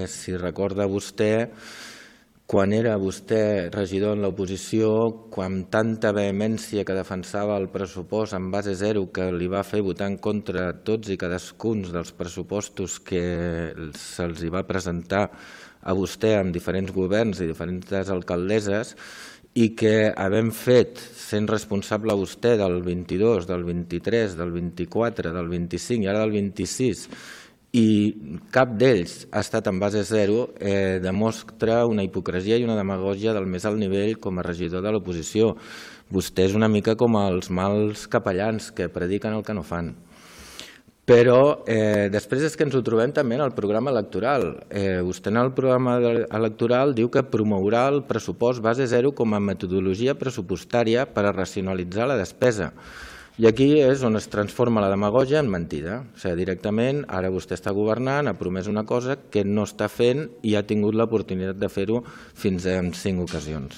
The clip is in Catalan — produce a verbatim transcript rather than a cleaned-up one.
Si recorda vostè, quan era vostè regidor en l'oposició, quan tanta vehemència que defensava el pressupost en base zero que li va fer votar en contra tots i cadascun dels pressupostos que se'ls va presentar a vostè amb diferents governs i diferents alcaldesses, i que havent fet, sent responsable vostè del vint-i-dos, del vint-i-tres, del vint-i-quatre, del vint-i-cinc i ara del vint-i-sis, i cap d'ells ha estat en base zero, demostra una hipocresia i una demagògia del més alt nivell com a regidor de l'oposició. Vostè és una mica com els mals capellans que prediquen el que no fan. Però després és que ens ho trobem també en el programa electoral. Vostè en el programa electoral diu que promourà el pressupost base zero com a metodologia pressupostària per a racionalitzar la despesa. I aquí és on es transforma la demagògia en mentida. O sigui, directament, ara vostè està governant, ha promès una cosa que no està fent i ha tingut l'oportunitat de fer-ho fins en cinc ocasions.